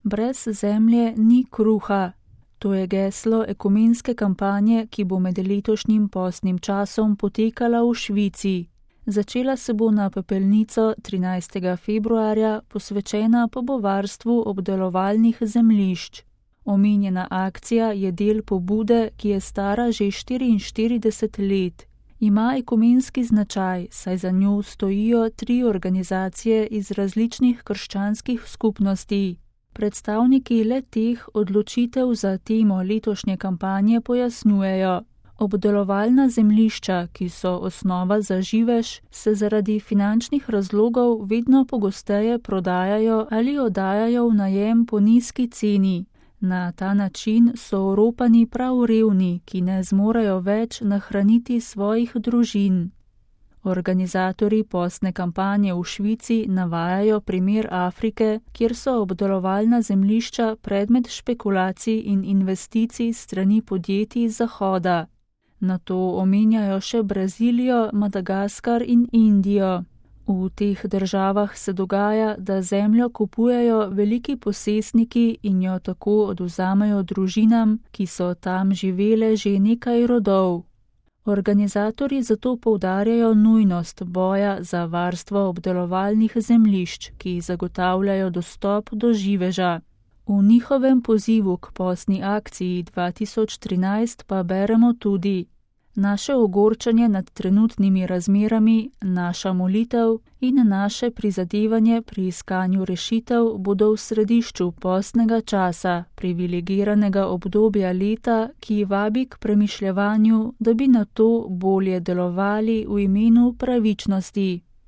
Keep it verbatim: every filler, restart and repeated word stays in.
Brez zemlje ni kruha. To je geslo ekumenske kampanje, ki bo med letošnjim postnim časom potekala v Švici. Začela se bo na pepelnico trinajstega februarja, posvečena pa bo varstvu obdelovalnih zemljišč. Omenjena akcija je del pobude, ki je stara že štiriinštirideset let. Ima ekumenski značaj, saj za njo stojijo tri organizacije iz različnih krščanskih skupnosti. Predstavniki le-teh odločitev za temo letošnje kampanje pojasnjujejo. Obdelovalna zemljišča, ki so osnova za živež, se zaradi finančnih razlogov vedno pogosteje prodajajo ali oddajajo v najem po nizki ceni. Na ta način so oropani prav revni, ki ne zmorejo več nahraniti svojih družin. Organizatorji postne kampanje v Švici navajajo primer Afrike, kjer so obdelovalna zemljišča predmet špekulacij in investicij strani podjetij z Zahoda. Nato omenjajo še Brazilijo, Madagaskar in Indijo. V teh državah se dogaja, da zemljo kupujejo veliki posestniki in jo tako odvzamejo družinam, ki so tam živele že nekaj rodov. Organizatorji zato poudarjajo nujnost boja za varstvo obdelovalnih zemljišč, ki zagotavljajo dostop do živeža. V njihovem pozivu k postni akciji dva tisoč trinajst pa beremo tudi: naše ogorčenje nad trenutnimi razmerami, naša molitev in naše prizadevanje pri iskanju rešitev bodo v središču postnega časa, privilegiranega obdobja leta, ki vabi k premišljevanju, da bi na to bolje delovali v imenu pravičnosti.